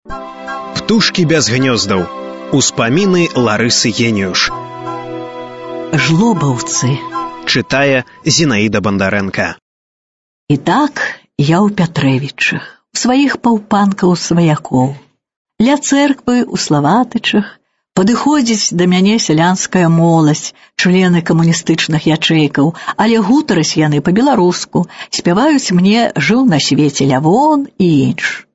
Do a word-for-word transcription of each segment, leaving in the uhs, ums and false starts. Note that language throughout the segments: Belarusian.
Птушкі без гнёздаў. Успаміны Ларысы Геніюш. Жлобаўцы. Чытае Зінаіда Бандарэнка. І так я ў Пятрэвічах, у сваіх паўпанкаў сваякоў. Ля цэрквы ў Славатычах падыходзіць да мяне сялянская моладзь, члены камуністычных ячэйкаў, але гутараць яны па-беларуску, спяваюць мне «Жыў на свеце Лявон» і інш.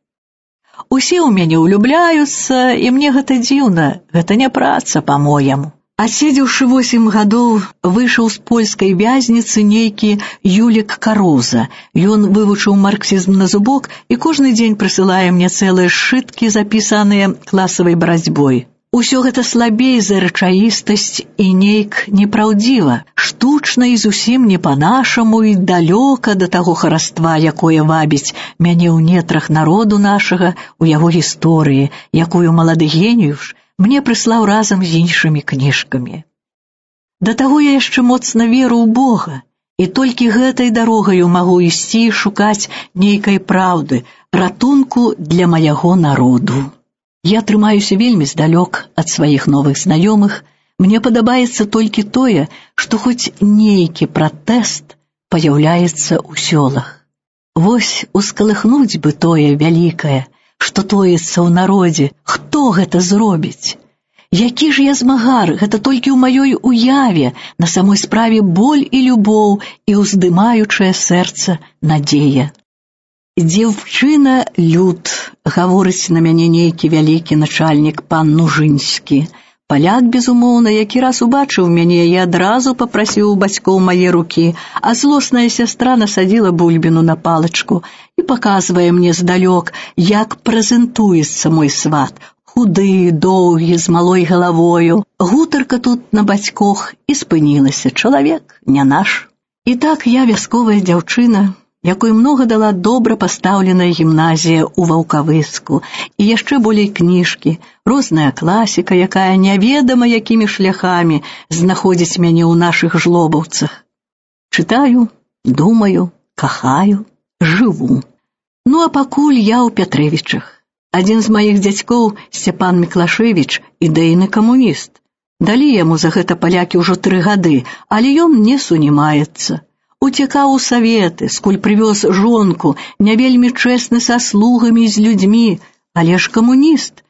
Усе ў мяне ўлюбляюцца, і мне гэта дзіўна, гэта не праца, па-мояму. Адседзеўшы восем гадоў, выйшаў з польскай вязніцы нейкі Юлік Кароза. Ён вывучыў марксізм на зубок і кожны дзень прысылае мне цэлыя сшыткі, запісаныя класавай барацьбой. Усё гэта слабей за рэчаістасць і нейк непраўдзіва, штучна і зусім не па-нашаму і далёка да таго хараства, якое вабіць мяне ў нетрах народу нашага, у яго гісторыі, якую малады Геніюш мне прыслаў разам з іншымі кніжкамі. Да таго я яшчэ моцна веру ў Бога, і толькі гэтай дарогаю магу ісці і шукаць нейкай праўды, ратунку для маяго народу. Я трымаюся вельмі здалёк ад сваіх новых знаёмых, мне падабаецца толькі тое, што хоць нейкі пратэст паяўляецца ў сёлах. Вось ускалыхнуць бы тое вялікае, што тоіцца ў народзе, хто гэта зробіць? Які ж я змагар, гэта толькі ў маёй уяве, на самой справе боль і любоў і ўздымаючае сэрца надзея. «Дзяўчына люд», гаворыць на мяне нейкі вялікі начальнік пан Нужынскі. Паляк, безумоўна, які раз убачыў мяне і адразу папрасіў у бацькоў мае рукі, а злосная сястра насадзіла бульбіну на палачку і паказвае мне здалёк, як прэзентуецца мой сват. Худы, доўгі, з малой галавою. Гутарка тут на бацькох і спынілася. Чалавек не наш. І так я вясковая дзяўчына, якой многа дала добра пастаўленая гімназія ў Ваўкавыску, і яшчэ болей кніжкі, розная класіка, якая няведама якімі шляхамі знаходзіць мяне ў нашых жлобаўцах. Чытаю, думаю, кахаю, жыву. Ну а пакуль я ў Пятрэвічах. Адзін з маіх дзядзькоў, Сцяпан Міклашевіч, ідэйны камуніст. Далі яму за гэта палякі ўжо тры гады, але ён не сунімаецца. Уцекаў у саветы, скуль прывёз жонку, не вельмі чэсны са слугамі і з людзьмі, але ж камуніст.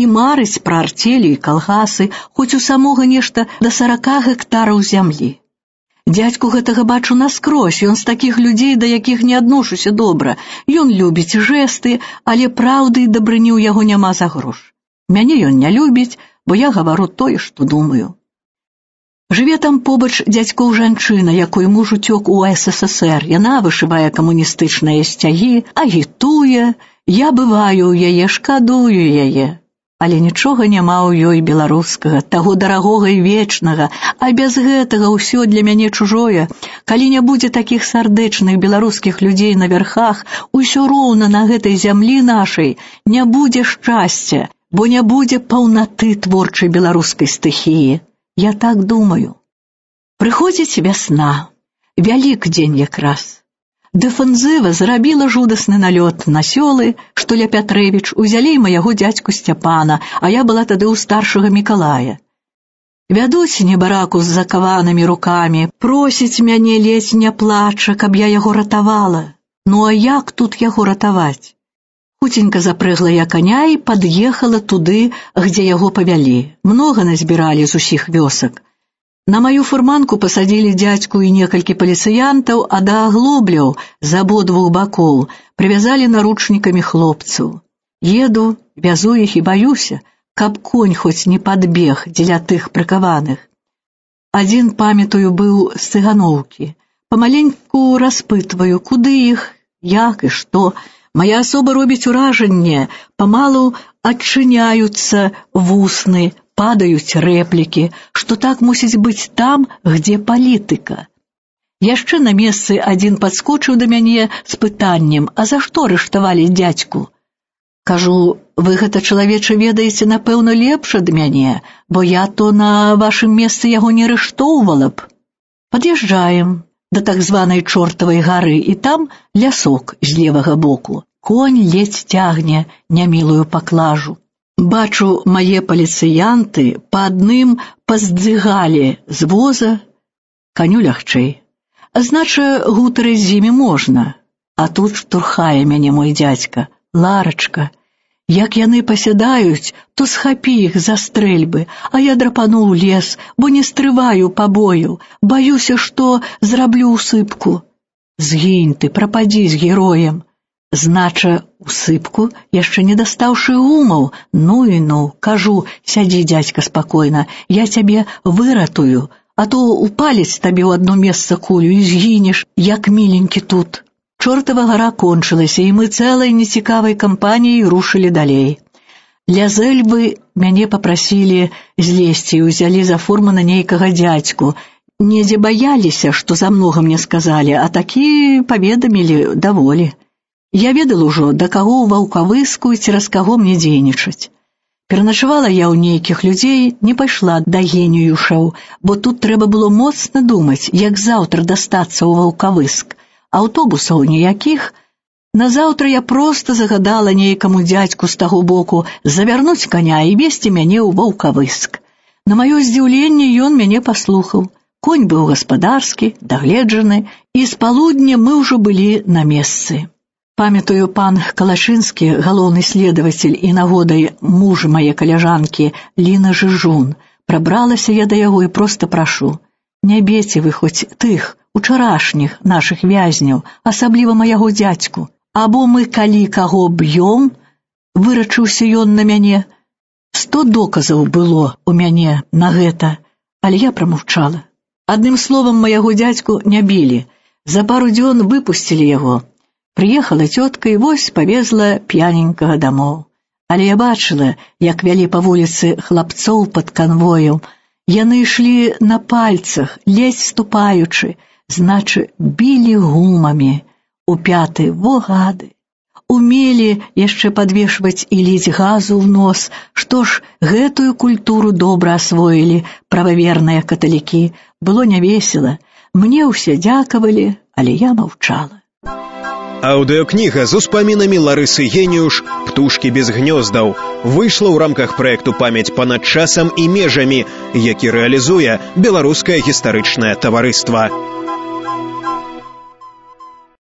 І марыць пра артелі і калгасы, хоць у самога нешта да сарака гектараў зямлі. Дзядзьку гэтага бачу наскрозь, ён з такіх людзей, да якіх не адношуся добра. Ён любіць жэсты, але праўды і дабрыні ў яго няма за грош. Мяне ён не любіць, бо я гавару тое, што думаю. Жыве там побач дзядзькоў жанчына, якой муж уцёк у эс эс эс эр. Яна вышывае камуністычныя сцягі, агітуе. Я бываю ў яе, шкадую яе. Але нічога няма ў ёй беларускага, таго дарагога і вечнага, а без гэтага ўсё для мяне чужое. Калі не будзе такіх сардэчных беларускіх людзей на вярхах, усё роўна на гэтай зямлі нашай не будзе шчасця, бо не будзе паўнаты творчай беларускай стыхіі. Я так думаю. Прыходзіць вясна, Вялікдзень якраз. Дэфэнзіва зрабіла жудасны налёт на сёлы, што ля Пятрэвіч, узялі маяго дзядзьку Сцяпана, а я была тады ў старшага Мікалая. Вядуць небараку з закаванымі рукамі, просіць мяне, ледзь не плача, каб я яго ратавала. Ну а як тут яго ратаваць? Хуценька запрэгла я каня і пад'ехала туды, где яго павялі. Многа назбіралі з усіх вёсак. На маю фурманку пасадзілі дзядзьку і некалькі паліцыянтаў, а да аглобляў з абодвух бакоў прывязалі наручнікамі хлопцаў. Еду, вязу іх і баюся, каб конь хоць не падбег дзеля тых прыкаваных. Адзін, памятаю, быў з цыганоўкі. Памаленьку распытваю, куды іх, як і што. Моя асоба робіць уражанне, памалу адчыняюцца вусны, падаюць рэплікі, што так мусіць быць там, где палітыка. Яшчэ на месцы адзін падскочыў да мяне з пытаннем, а за што арыштавалі дзядзьку? Кажу, вы гэта, чалавеча, ведаеце, напэўна, лепш ад мяне, бо я то на вашым месцы яго не арыштоўвала б. Пад'язджаем да так званай Чортавай гары, і там лясок з левага боку. Конь ледзь цягне нямілую паклажу. Бачу, мае паліцыянты па адным паздзыгалі з воза, каню лягчэй. Знача, гутарыць з імі можна. А тут штурхае мяне мой дзядзька. Ларачка, як яны пасядаюць, то схапі іх за стрэльбы, а я драпану ў лес, бо не стрываю пабою, баюся, што зраблю усыпку. Згінь ты, прападзі з героем. Знача, усыпку, яшчэ не дастаўшы гумаў. Ну і ну, кажу, сядзі, дзядзька, спакойна, я цябе выратую, а то упаліць табе ў адно месца кулю і згінеш, як міленькі тут. Чортава гара кончылася, і мы цэлай нецікавай кампаніяй рушылі далей. Ля зэльбы мяне папрасілі злезці і ўзялі за фурмана нейкага дзядзьку. Недзе баяліся, што замнога мне сказалі, а такі паведамілі даволі. Я ведала ўжо, да каго ў Ваўкавыску і цераз каго мне дзейнічаць. Пераначавала я ў нейкіх людзей, не пайшла да геніюшаў, бо тут трэба было моцна думаць, як заўтра дастацца ў Ваўкавыск. Аўтобусаў ніякіх. Назаўтра я проста загадала нейкаму дзядзьку з таго боку завярнуць каня і весці мяне ў Ваўкавыск. На маё здзіўленне ён мяне паслухаў. Конь быў гаспадарскі, дагледжаны, і з палудня мы ўжо былі на месцы. Памятаю, пан Калашынскі, галоўны следавацель і нагодай муж мае каляжанкі Ліна Жыжун. Прабралася я да яго і проста прашу: не бейце вы хоць тых, учарашніх нашых вязняў, асабліва маяго дзядзьку. Або мы калі каго б'ём, вырачыўся ён на мяне. Сто доказаў было у мяне на гэта, але я прамаўчала. Адным словам, маяго дзядзьку не білі. За пару дзён выпусцілі яго. Прыехала цётка і вось павезла п'яненькага дамоў. Але я бачыла, як вялі па вуліцы хлапцоў пад канвоем. Яны ішлі на пальцах, ледзь ступаючы, значы, білі гумамі. У пяты, во гады. Умелі яшчэ падвешваць і ліць газу ў нос. Што ж, гэтую культуру добра асвоілі прававерныя каталікі. Было нявесела. Мне ўсе дзякавалі, але я маўчала. Аўдыёкніга з успамінамі Ларысы Геніюш «Птушкі без гнёздаў» выйшла ў рамках праекту «Памяць панад часам і межамі», які рэалізуе Беларускае гістарычнае таварыства.